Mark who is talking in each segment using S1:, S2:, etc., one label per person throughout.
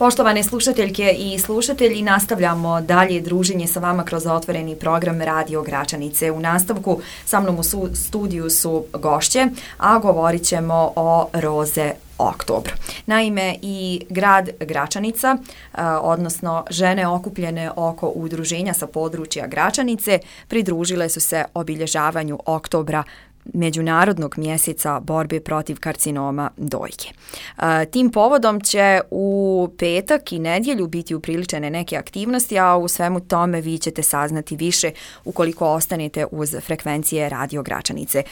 S1: Poštovane slušateljke i slušatelji, nastavljamo dalje druženje sa vama kroz otvoreni program Radio Gračanice. U nastavku sa mnom u studiju su gošće, a govorit ćemo o Roze oktobru. Naime, i grad Gračanica, odnosno žene okupljene oko udruženja sa područja Gračanice, pridružile su se obilježavanju oktobra, Međunarodnog mjeseca borbe protiv karcinoma dojke. Tim povodom će u petak i nedjelju biti upriličene neke aktivnosti, a u svemu tome vi ćete saznati više ukoliko ostanete uz frekvencije Radio Gračanice.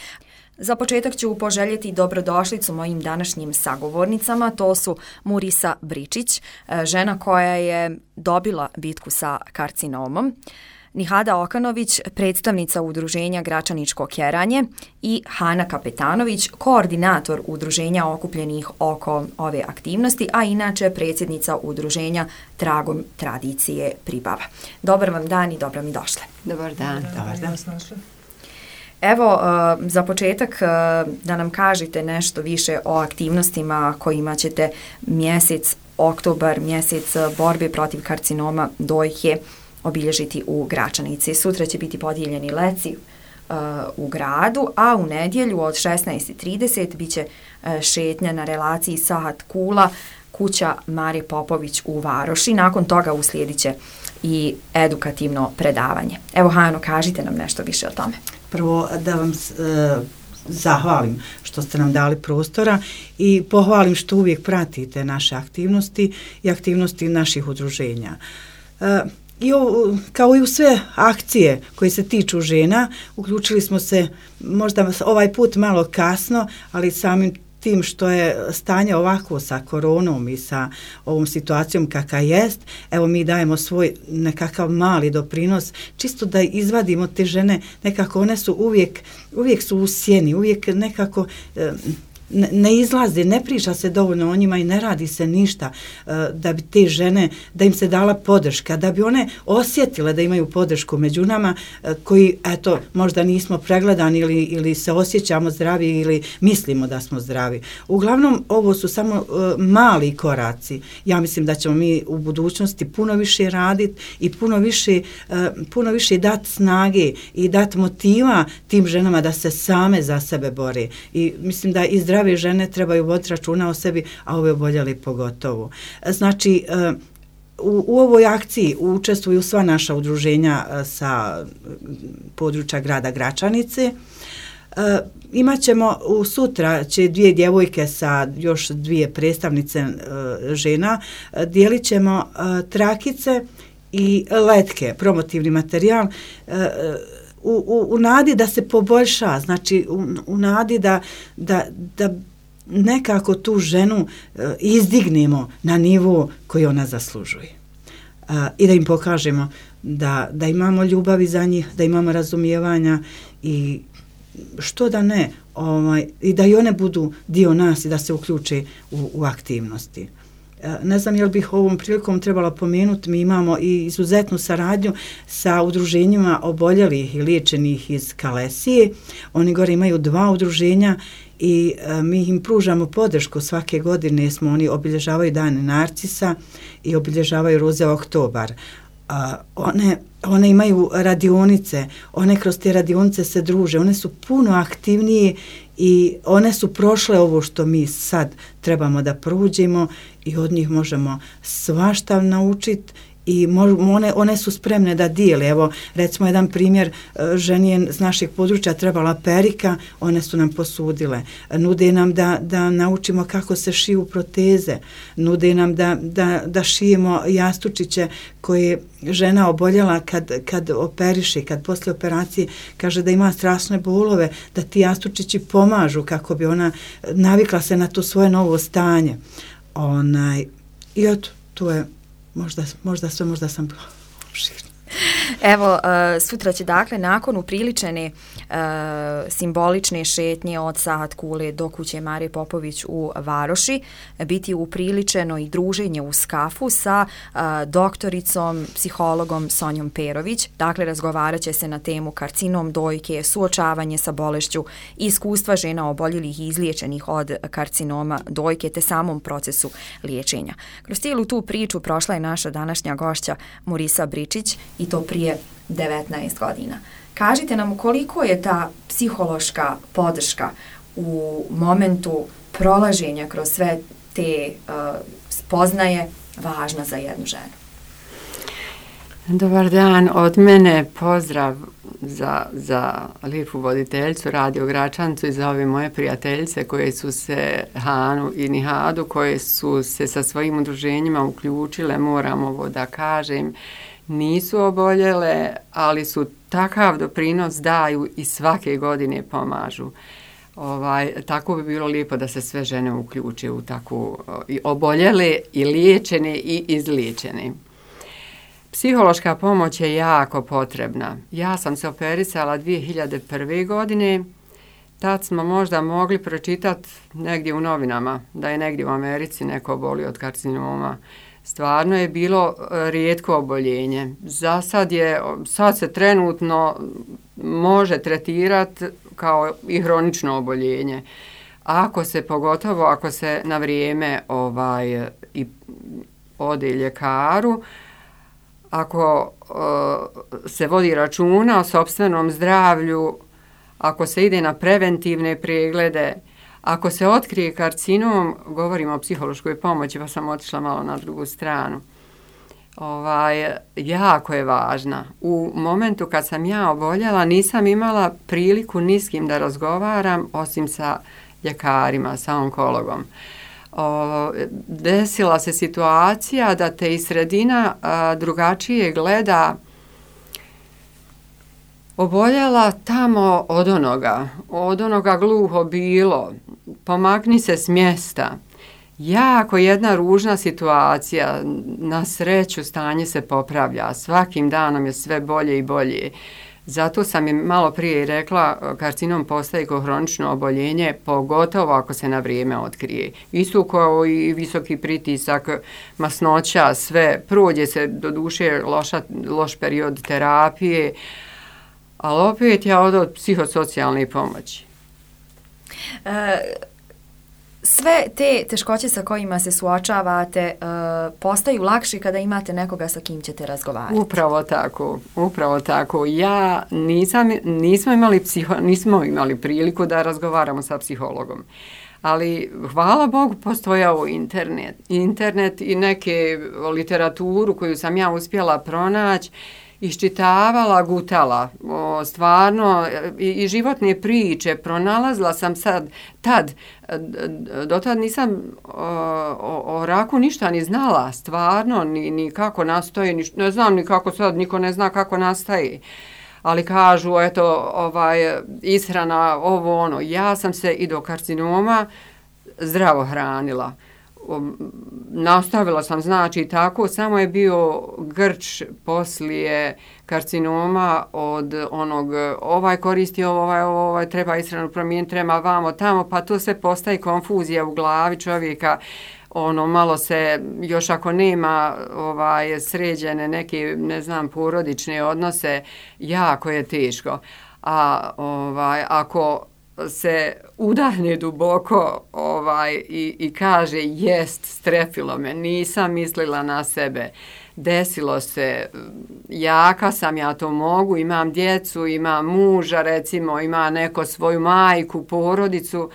S1: Za početak ću poželjeti dobrodošlicu mojim današnjim sagovornicama. To su Murisa Bričić, žena koja je dobila bitku sa karcinomom, Nihada Okanović, predstavnica udruženja Gračaničko Keranje, i Hana Kapetanović, koordinator udruženja okupljenih oko ove aktivnosti, a inače predsjednica udruženja Tragom tradicije Pribava. Dobar vam dan i dobro mi došle.
S2: Dobar dan.
S3: Dobar dan.
S1: Evo, za početak da nam kažete nešto više o aktivnostima kojima ćete mjesec oktobar, mjesec borbe protiv karcinoma dojke, obilježiti u Gračanici. Sutra će biti podijeljeni leci u gradu, a u nedjelju od 16:30 bit će šetnja na relaciji Sahat Kula, kuća Mare Popović u Varoši. Nakon toga uslijedit će i edukativno predavanje. Evo, Hano, kažite nam nešto više o tome.
S3: Prvo da vam zahvalim što ste nam dali prostora i pohvalim što uvijek pratite naše aktivnosti i aktivnosti naših udruženja. I kao i u sve akcije koje se tiču žena, uključili smo se možda ovaj put malo kasno, ali samim tim što je stanje ovako sa koronom i sa ovom situacijom kakva jest, evo mi dajemo svoj nekakav mali doprinos, čisto da izvadimo te žene, nekako one su uvijek su u sjeni, uvijek nekako ne izlazi, ne priča se dovoljno o njima i ne radi se ništa da bi te žene, da im se dala podrška, da bi one osjetile da imaju podršku među nama koji, eto, možda nismo pregledani ili se osjećamo zdravi ili mislimo da smo zdravi. Uglavnom, ovo su samo mali koraci. Ja mislim da ćemo mi u budućnosti puno više raditi i puno više dati snage i dati motiva tim ženama da se same za sebe bore. I mislim da i zdrave žene trebaju voditi računa o sebi, a ove oboljeli pogotovo. Znači, u ovoj akciji učestvuju sva naša udruženja sa područja grada Gračanice. Imaćemo sutra će 2 djevojke sa još 2 predstavnice žena, dijelit ćemo trakice i letke, promotivni materijal, u nadi da se poboljša, znači u nadi da nekako tu ženu izdignemo na nivo koji ona zaslužuje. I da im pokažemo da imamo ljubavi za njih, da imamo razumijevanja i što da ne, i da i one budu dio nas i da se uključe u aktivnosti. Ne znam je li bih ovom prilikom trebala pomenuti, mi imamo i izuzetnu saradnju sa udruženjima oboljelih i liječenih iz Kalesije. Oni gore imaju 2 udruženja i mi im pružamo podršku svake godine. Oni obilježavaju dane Narcisa i obilježavaju Roze oktobar. One imaju radionice, one kroz te radionice se druže, one su puno aktivnije i one su prošle ovo što mi sad trebamo da prođemo i od njih možemo svašta naučiti i one su spremne da dijele. Evo, recimo jedan primjer, ženi je s našeg područja trebala perika, one su nam posudile. Nude nam da naučimo kako se šiju proteze, nude nam da šijemo jastučiće koje žena oboljela kad operiše, kad posle operacije kaže da ima strašne bolove, da ti jastučići pomažu kako bi ona navikla se na to svoje novo stanje. I eto, to je možda sam
S1: Evo, sutra će dakle nakon upriličene simbolične šetnje od Sahat Kule do kuće Marije Popović u Varoši biti upriličeno i druženje uz kafu sa doktoricom, psihologom Sonjom Perović. Dakle, razgovarat će se na temu karcinom dojke, suočavanje sa bolešću, iskustva žena oboljelih i izliječenih od karcinoma dojke te samom procesu liječenja. Kroz cijelu tu priču prošla je naša današnja gošća Murisa Bričić i to prije 19 godina. Kažite nam koliko je ta psihološka podrška u momentu prolaženja kroz sve te spoznaje važna za jednu ženu.
S2: Dobar dan, od mene pozdrav za lijepu voditeljcu Radio Gračancu i za ove moje prijateljice koje su se, Hanu i Nihadu, koje su se sa svojim udruženjima uključile, moram ovo da kažem, nisu oboljele, ali su takav doprinos daju i svake godine pomažu. Tako bi bilo lijepo da se sve žene uključe u takvu i oboljele i liječene i izliječene. Psihološka pomoć je jako potrebna. Ja sam se operisala 2001. godine. Tad smo možda mogli pročitati negdje u novinama da je negdje u Americi neko obolio od karcinoma. Stvarno je bilo rijetko oboljenje. Sad se trenutno može tretirati kao i hronično oboljenje. Pogotovo ako se na vrijeme i ode ljekaru, ako se vodi računa o sopstvenom zdravlju, ako se ide na preventivne preglede, ako se otkrije karcinom, govorimo o psihološkoj pomoći, pa sam otišla malo na drugu stranu, jako je važna. U momentu kad sam ja oboljela, nisam imala priliku ni s kim da razgovaram, osim sa ljekarima, sa onkologom. Desila se situacija da te iz sredina drugačije gleda. Oboljela tamo od onoga gluho bilo, pomakni se s mjesta. Jako jedna ružna situacija, na sreću stanje se popravlja, svakim danom je sve bolje i bolje. Zato sam im malo prije rekla, karcinom postaje kao hronično oboljenje, pogotovo ako se na vrijeme otkrije. Isto kao i visoki pritisak, masnoća, sve, prođe se do duše loš period terapije, ali opet ja od psihosocijalne pomoći.
S1: Sve te teškoće sa kojima se suočavate postaju lakše kada imate nekoga sa kim ćete razgovarati.
S2: Upravo tako. Ja nismo imali priliku da razgovaramo sa psihologom. Ali, hvala Bogu, postojao internet i neke literaturu koju sam ja uspjela pronaći, iščitavala, gutala, stvarno i životne priče, pronalazila sam dotad nisam o raku ništa ni znala, stvarno, ni kako nastaje, ne znam ni kako sad, niko ne zna kako nastaje. Ali kažu, ishrana, ovo ono, ja sam se i do karcinoma zdravo hranila. Nastavila sam, znači tako, samo je bio grč poslije karcinoma od onog, koristi ovo, treba ishranu promijeniti, treba vamo, tamo, pa to sve postaje konfuzija u glavi čovjeka, malo se, još ako nema sređene neke, ne znam, porodične odnose, jako je teško. A ako se udahne duboko i kaže jest, strefilo me, nisam mislila na sebe, desilo se, jaka sam, ja to mogu, imam djecu, imam muža, recimo, ima neko svoju majku, porodicu,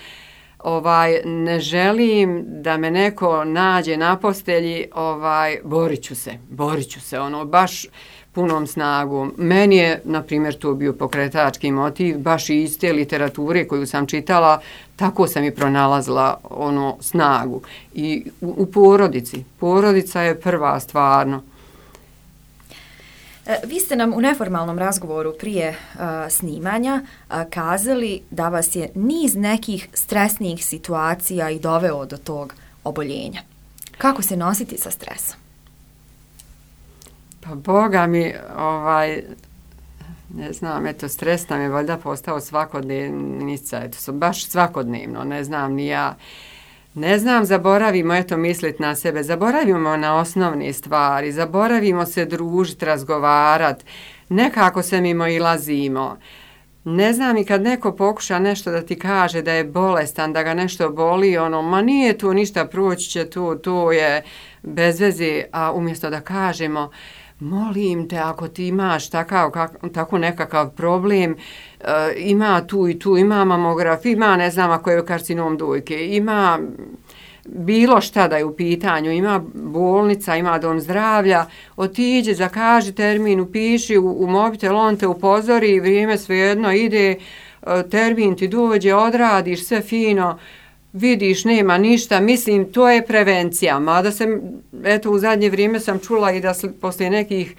S2: ne želim da me neko nađe na postelji, borit ću se, baš punom snagom. Meni je, na primjer, to bio pokretački motiv, baš i iz te literature koju sam čitala, tako sam i pronalazila snagu. I u porodici. Porodica je prva, stvarno.
S1: Vi ste nam u neformalnom razgovoru prije snimanja kazali da vas je niz nekih stresnih situacija i doveo do tog oboljenja. Kako se nositi sa stresom?
S2: Pa Boga mi, ne znam, eto, stres nam je valjda postao svakodnevnica, eto, baš svakodnevno, ne znam ni ja. Ne znam, zaboravimo, eto, misliti na sebe, zaboravimo na osnovne stvari, zaboravimo se družiti, razgovarati, nekako se mimoilazimo. Ne znam, i kad neko pokuša nešto da ti kaže da je bolestan, da ga nešto boli, ma nije tu ništa, proći će tu, to je bez veze, a umjesto da kažemo, molim te, ako ti imaš tako nekakav problem, ima tu i tu, ima mamograf, ima, ne znam, ako je karcinom dojke, ima bilo šta da je u pitanju, ima bolnica, ima dom zdravlja, otiđe, zakaži termin, upiši u mobitel, on te upozori, vrijeme svejedno ide, termin ti dođe, odradiš sve fino, vidiš, nema ništa, mislim, to je prevencija, mada sam, eto, u zadnje vrijeme sam čula i da poslije nekih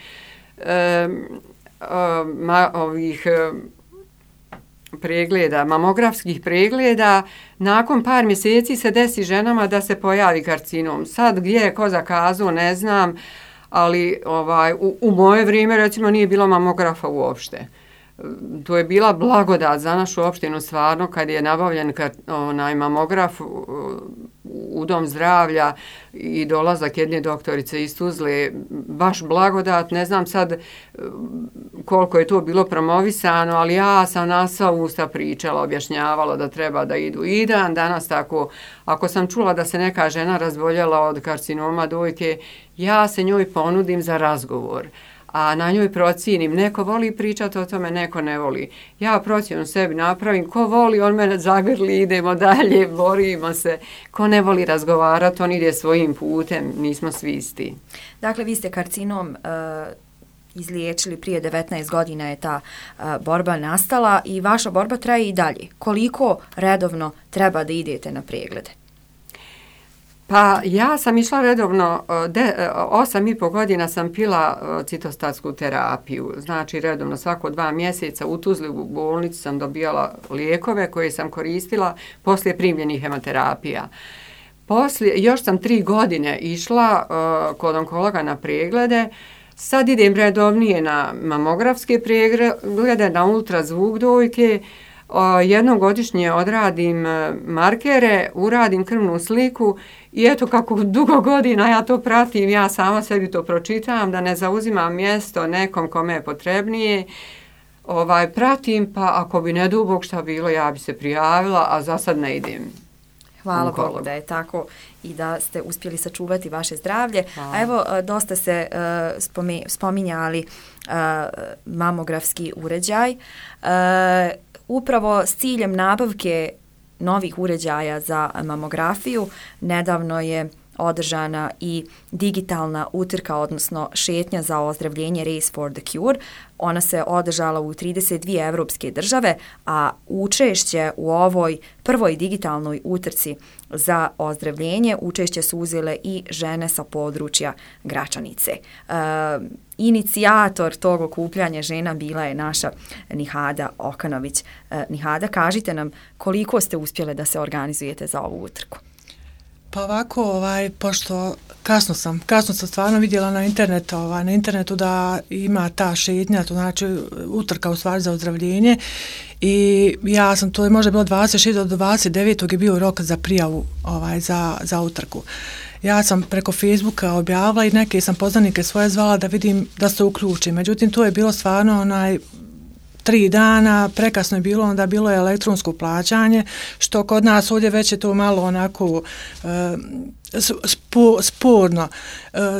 S2: pregleda, mamografskih pregleda, nakon par mjeseci se desi ženama da se pojavi karcinom. Sad gdje je ko zakazao, ne znam, ali u moje vrijeme, recimo, nije bilo mamografa uopšte. To je bila blagodat za našu opštinu, stvarno, kad je nabavljen mamograf u dom zdravlja i dolazak jedne doktorice iz Tuzle, baš blagodat. Ne znam sad koliko je to bilo promovisano, ali ja sam na sva usta pričala, objašnjavala da treba da idu. I danas tako, ako sam čula da se neka žena razboljela od karcinoma dojke, ja se njoj ponudim za razgovor. A na njoj procijenim, neko voli pričati o tome, neko ne voli. Ja procjenu sebi napravim, ko voli, on mene zagrli, idemo dalje, borimo se. Ko ne voli razgovarati, on ide svojim putem, nismo svi isti.
S1: Dakle, vi ste karcinom izliječili prije 19 godina je ta borba nastala i vaša borba traje i dalje. Koliko redovno treba da idete na preglede?
S2: Pa ja sam išla redovno, 8,5 godina sam pila citostatsku terapiju, znači redovno svako 2 mjeseca u Tuzli u bolnici sam dobijala lijekove koje sam koristila poslije primljenih hemoterapija. Još sam 3 godine išla kod onkologa na preglede, sad idem redovnije na mamografske preglede, na ultrazvuk dojke, jednom godišnje odradim markere, uradim krvnu sliku i eto kako dugo godina ja to pratim, ja sama sebi to pročitam, da ne zauzimam mjesto nekom kome je potrebnije, pratim, pa ako bi ne dubog šta bilo, ja bi se prijavila, a za sad ne idem.
S1: Hvala Bogu da je tako i da ste uspjeli sačuvati vaše zdravlje. Hvala. A evo, dosta ste spominjali mamografski uređaj. Upravo s ciljem nabavke novih uređaja za mamografiju nedavno je održana i digitalna utrka, odnosno šetnja za ozdravljenje Race for the Cure. Ona se održala u 32 evropske države, a učešće u ovoj prvoj digitalnoj utrci za ozdravljenje učešće su uzele i žene sa područja Gračanice. Inicijator tog okupljanja žena bila je naša Nihada Okanović. Nihada, kažite nam koliko ste uspjele da se organizujete za ovu utrku?
S4: Pa ovako, pošto kasno sam stvarno vidjela na internetu da ima ta šetnja, to znači utrka u stvari za ozdravljenje i ja sam, to je možda bilo 26. do 29. je bio rok za prijavu za utrku. Ja sam preko Facebooka objavila i neke sam poznanike svoje zvala da vidim da se uključim. Međutim, to je bilo stvarno 3 dana, prekasno je bilo, onda bilo je elektronsko plaćanje, što kod nas ovdje već je to malo onako sporno.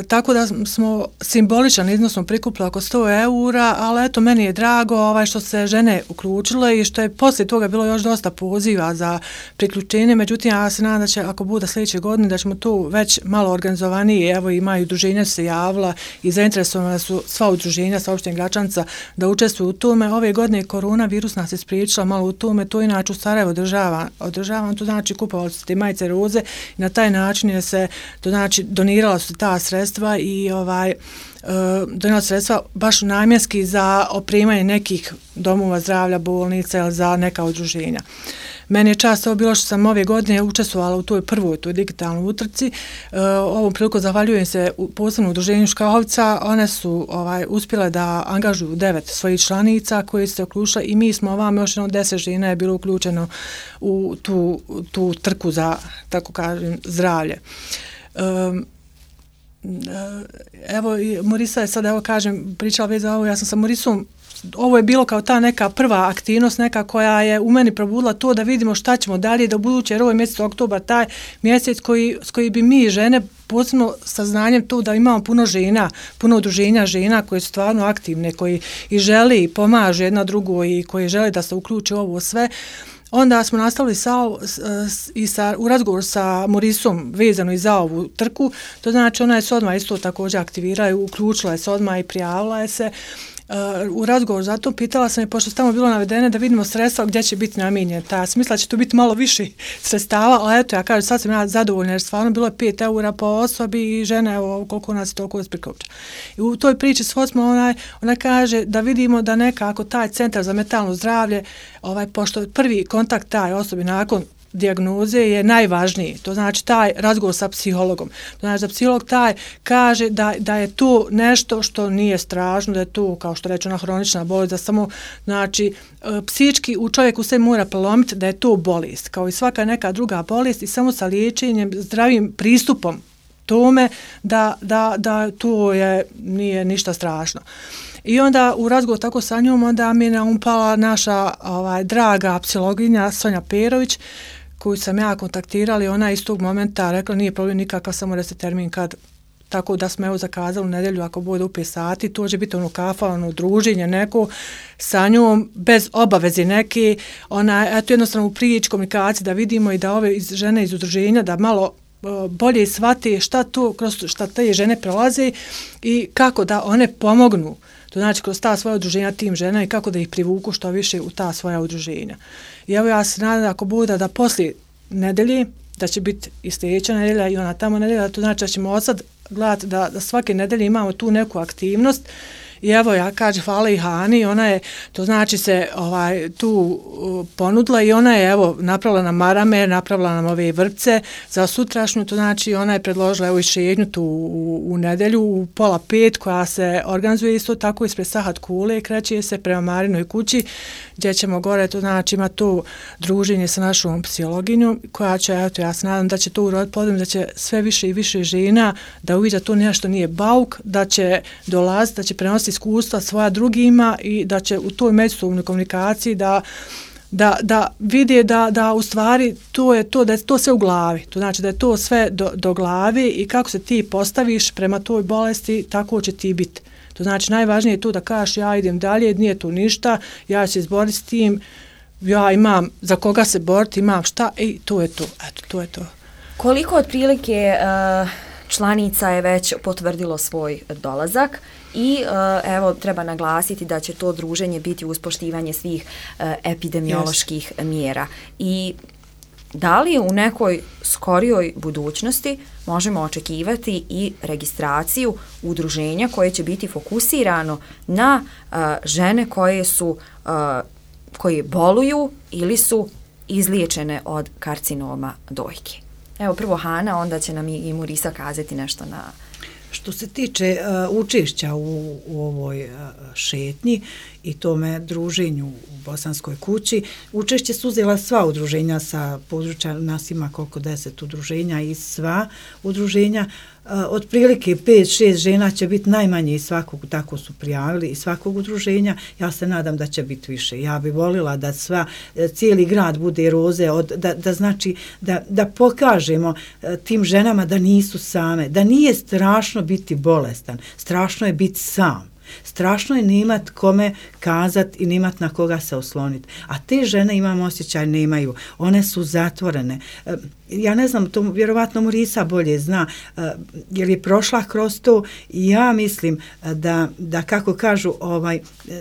S4: Tako da smo simboličan iznos smo prikupili oko 100 eura, ali eto, meni je drago što se žene uključile i što je poslije toga bilo još dosta poziva za priključenje, međutim ja se nadam da će, ako bude sljedeće godine, da ćemo tu već malo organizovanije, evo imaju udruženja se javila i zainteresovana su sva udruženja sa opštine Gračanca da učestvuju u tome. Ove godine koronavirus nas je spriječila malo u tome, to inače u Sarajevo održavam, to znači kupovali su te majice roze i na taj način je se, to znači donirala su ta sredstva i donirala sredstva baš namjenski za opremanje nekih domova zdravlja, bolnica ili za neka udruženja. Meni je čast ovo bilo što sam ove godine učestvovala u toj digitalnoj utrci. Ovom priliku zahvaljujem se posebno udruženju Škahovca. One su uspjele da angažuju 9 svojih članica koje se uključile i mi smo ovamo još 10 žena je bilo uključeno u tu trku za, tako kažem, zdravlje. Evo, Morisa je sad, evo kažem, pričala već za ovo, ja sam sa Morisom, ovo je bilo kao ta neka prva aktivnost, neka koja je u meni probudila to da vidimo šta ćemo dalje, da u buduće, jer ovo je mjesec oktobar, taj mjesec s koji bi mi žene, posebno sa znanjem to da imamo puno žena, puno udruženja žena koje su stvarno aktivne, koji i žele i pomažu jedna drugo i koji žele da se uključe ovo sve. Onda smo nastavili u razgovoru sa Morisom vezano i za ovu trku, to znači ona je se odmah isto također aktivirala, uključila je se odmah i prijavila je se. U razgovoru zato pitala sam je, pošto tamo bilo navedene, da vidimo sredstva gdje će biti namijenjene. Ja sam mislila da će tu biti malo više sredstava, ali eto, ja kažem, sad sam ja zadovoljna jer stvarno bilo je 5 eura po osobi i žena, evo, koliko nas je toliko ispriključa. I u toj priči s Hosma ona kaže da vidimo da nekako taj centar za mentalno zdravlje, pošto prvi kontakt taj osobi nakon dijagnoze je najvažniji. To znači taj razgovor sa psihologom. To znači da psiholog taj kaže da je to nešto što nije strašno, da je to, kao što reče, ona hronična bolest, da samo, znači, psički u čovjeku se mora prelomiti da je to bolest, kao i svaka neka druga bolest i samo sa liječenjem, zdravim pristupom tome da to nije ništa strašno. I onda u razgovoru tako sa njom, onda mi je naumpala naša draga psihologinja Sonja Perović, koju sam ja kontaktirala, ona iz tog momenta rekla nije problem nikakav, samo da se termin kad, tako da smo evo zakazali u nedjelju ako bude u 5 sati, to će biti kafa, druženje neko sa njom, bez obaveze neke, eto jednostavno u prijeći komunikaciji da vidimo i da ove žene iz udruženja da malo bolje shvate šta te žene prolaze i kako da one pomognu. To znači kroz ta svoja udruženja tim žena i kako da ih privuku što više u ta svoja udruženja. I evo ja se nadam ako bude da poslije nedelje, da će biti i sljedeća nedelja i ona tamo nedelja, to znači da ćemo od sad gledati da svake nedelje imamo tu neku aktivnost. I evo ja kažem hvala i Hani, ona je, to znači se tu ponudila i ona je evo napravila nam marame, napravila nam ove vrpce za sutrašnju, to znači ona je predložila evo i šetnju tu u nedelju u 4:30 koja se organizuje isto tako ispred Sahat Kule, kreće se prema Marinoj kući gdje ćemo gore, to znači ima to druženje sa našom psihologinjom koja će, eto ja se nadam da će to uroditi plodom, da će sve više i više žena da uvidi da to nešto nije bauk, da će dolaziti, da će prenositi iskustva svoja drugima i da će u toj međusobnoj komunikaciji da vide da u stvari to je to, da je to sve u glavi. To znači da je to sve do glavi i kako se ti postaviš prema toj bolesti, tako će ti biti. To znači najvažnije je to da kažeš ja idem dalje, nije tu ništa, ja ću se izboriti s tim, ja imam za koga se boriti, imam šta i to je to. Eto, to je to.
S1: Koliko otprilike članica je već potvrdilo svoj dolazak i evo treba naglasiti da će to druženje biti uz poštivanje svih epidemioloških mjera. I da li u nekoj skorijoj budućnosti možemo očekivati i registraciju udruženja koje će biti fokusirano na žene koje boluju ili su izliječene od karcinoma dojke? Evo prvo Hana, onda će nam i Morisa kazati nešto na...
S3: Što se tiče učešća u ovoj šetnji i tome druženju u Bosanskoj kući, učešće su uzela sva udruženja sa područja, nas ima koliko 10 udruženja i sva udruženja. Otprilike 5-6 žena će biti najmanje iz svakog, tako su prijavili, iz svakog udruženja. Ja se nadam da će biti više. Ja bih volila da cijeli grad bude roze, da pokažemo tim ženama da nisu same, da nije strašno biti bolestan, strašno je biti sam. Strašno je nemat kome kazat i nemat na koga se osloniti. A te žene, imam osjećaj, nemaju. One su zatvorene. Ja ne znam, to vjerovatno Morisa bolje zna, jer je prošla kroz to i ja mislim da kako kažu,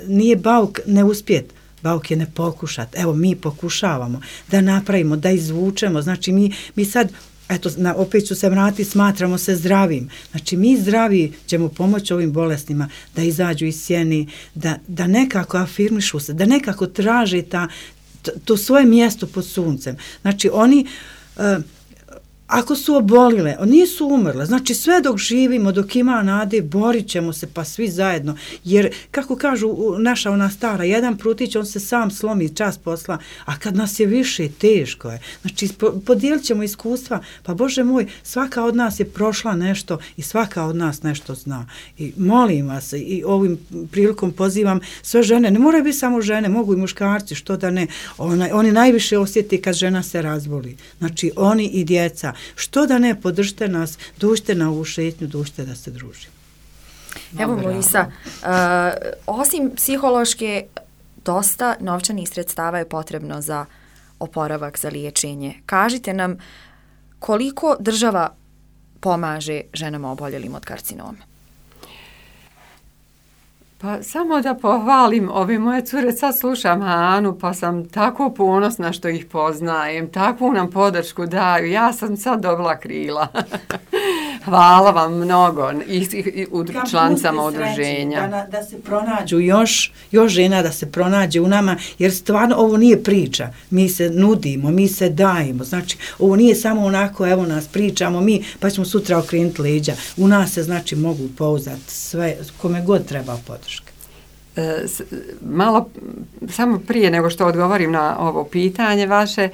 S3: nije bauk ne uspjet. Bauk je ne pokušat. Evo, mi pokušavamo da napravimo, da izvučemo. Znači, mi sad, eto, opet ću se vratiti, smatramo se zdravim. Znači, mi zdravi ćemo pomoći ovim bolestima da izađu iz sjeni, da nekako afirmišu se, da nekako traže to svoje mjesto pod suncem. Znači oni ako su obolile, nisu umrle, znači sve dok živimo, dok ima nade, borit ćemo se pa svi zajedno, jer kako kažu naša ona stara, jedan prutić on se sam slomi čas posla, a kad nas je više, teško je. Znači podijelit ćemo iskustva, pa Bože moj, svaka od nas je prošla nešto i svaka od nas nešto zna. I molim vas i ovim prilikom pozivam sve žene, ne moraju biti samo žene, mogu i muškarci, što da ne, oni najviše osjeti kad žena se razboli. Znači oni i djeca. Što da ne, podržite nas, dužite na ovu šetnju, dužite da se družimo.
S1: Evo Mojisa, osim psihološke, dosta novčanih sredstava je potrebno za oporavak, za liječenje. Kažite nam koliko država pomaže ženama oboljelim od karcinoma?
S2: Pa samo da pohvalim ove moje cure, sad slušam Anu, pa sam tako ponosna što ih poznajem, takvu nam podršku daju, ja sam sad dobila krila. Hvala vam mnogo i članicama udruženja.
S3: Da se pronađu još žena, da se pronađe u nama, jer stvarno ovo nije priča, mi se nudimo, mi se dajemo, znači ovo nije samo onako, evo nas pričamo mi, pa ćemo sutra okrenuti leđa, u nas se znači mogu pouzdati sve, kome god treba podrška.
S2: Malo, samo prije nego što odgovorim na ovo pitanje vaše,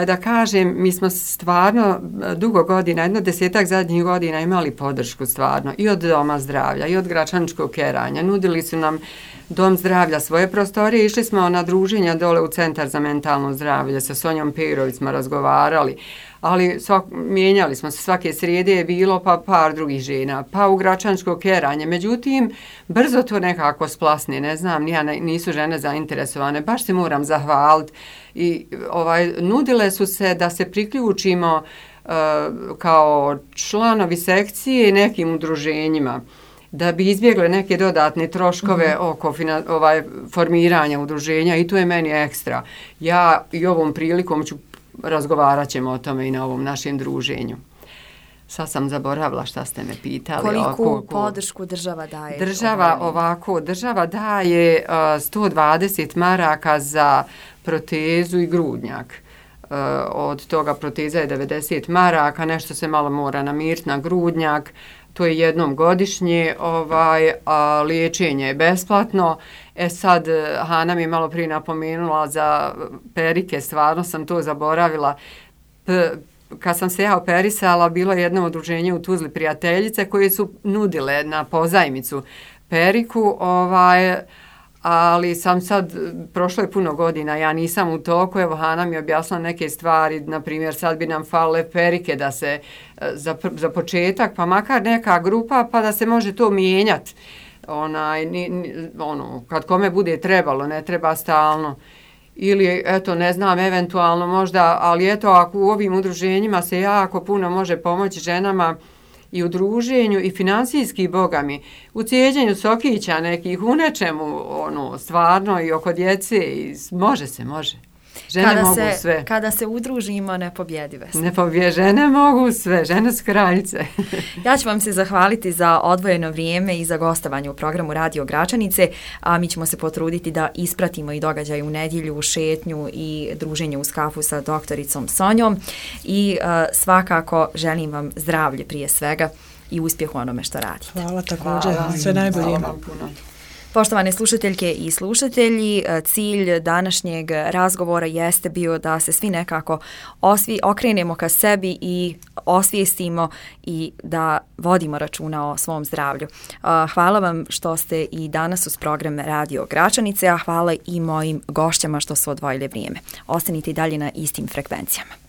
S2: da kažem, mi smo stvarno dugo godina, 10 zadnjih godina imali podršku stvarno i od Doma zdravlja i od Gračaničkog keranja. Nudili su nam Dom zdravlja svoje prostorije, išli smo na druženja dole u Centar za mentalno zdravlje, sa Sonjom Perović smo razgovarali, ali mijenjali smo se, svake srijede je bilo pa par drugih žena, pa u Gračaničko keranje. Međutim, brzo to nekako splasne, ne znam, nisu žene zainteresovane, baš se moram zahvaliti. I nudile su se da se priključimo kao članovi sekcije nekim udruženjima, da bi izbjegle neke dodatne troškove oko formiranja udruženja i to je meni ekstra. Ja i ovom prilikom razgovarat ćemo o tome i na ovom našem druženju. Sad sam zaboravila šta ste me pitali.
S1: Koliko podršku država daje?
S2: Država daje 120 maraka za protezu i grudnjak. Od toga proteza je 90 maraka, nešto se malo mora namiriti na grudnjak, to je jednom godišnje, a liječenje je besplatno. Sad, Hana mi je malo prije napomenula za perike, stvarno sam to zaboravila. Kad sam se ja operisala, bilo je jedno udruženje u Tuzli prijateljice koje su nudile na pozajmicu periku, ali sam sad, prošlo je puno godina, ja nisam u toku, evo Hana mi je objasnila neke stvari, na primjer sad bi nam falile perike da se za početak, pa makar neka grupa pa da se može to mijenjati, kad kome bude trebalo, ne treba stalno. Ili, eto, ne znam, eventualno možda, ali eto, ako u ovim udruženjima se jako puno može pomoći ženama i u druženju i financijski bogami, u cijeđenju sokića nekih, u nečemu, stvarno i oko djece, može se. Žene mogu sve.
S1: Kada se udružimo, nepobjedive smo.
S2: Žene mogu sve, žene su kraljice.
S1: Ja ću vam se zahvaliti za odvojeno vrijeme i za gostovanje u programu Radio Gračanice, a mi ćemo se potruditi da ispratimo i događaj u nedjelju, šetnju i druženje uz kafu sa doktoricom Sonjom i svakako želim vam zdravlje prije svega i uspjeh u onome što radite.
S4: Hvala također, sve najbolje.
S2: Hvala vam puno.
S1: Poštovane slušateljke i slušatelji, cilj današnjeg razgovora jeste bio da se svi nekako okrenemo ka sebi i osvijestimo i da vodimo računa o svom zdravlju. Hvala vam što ste i danas uz program Radio Gračanice, a hvala i mojim gošćama što su odvojili vrijeme. Ostanite i dalje na istim frekvencijama.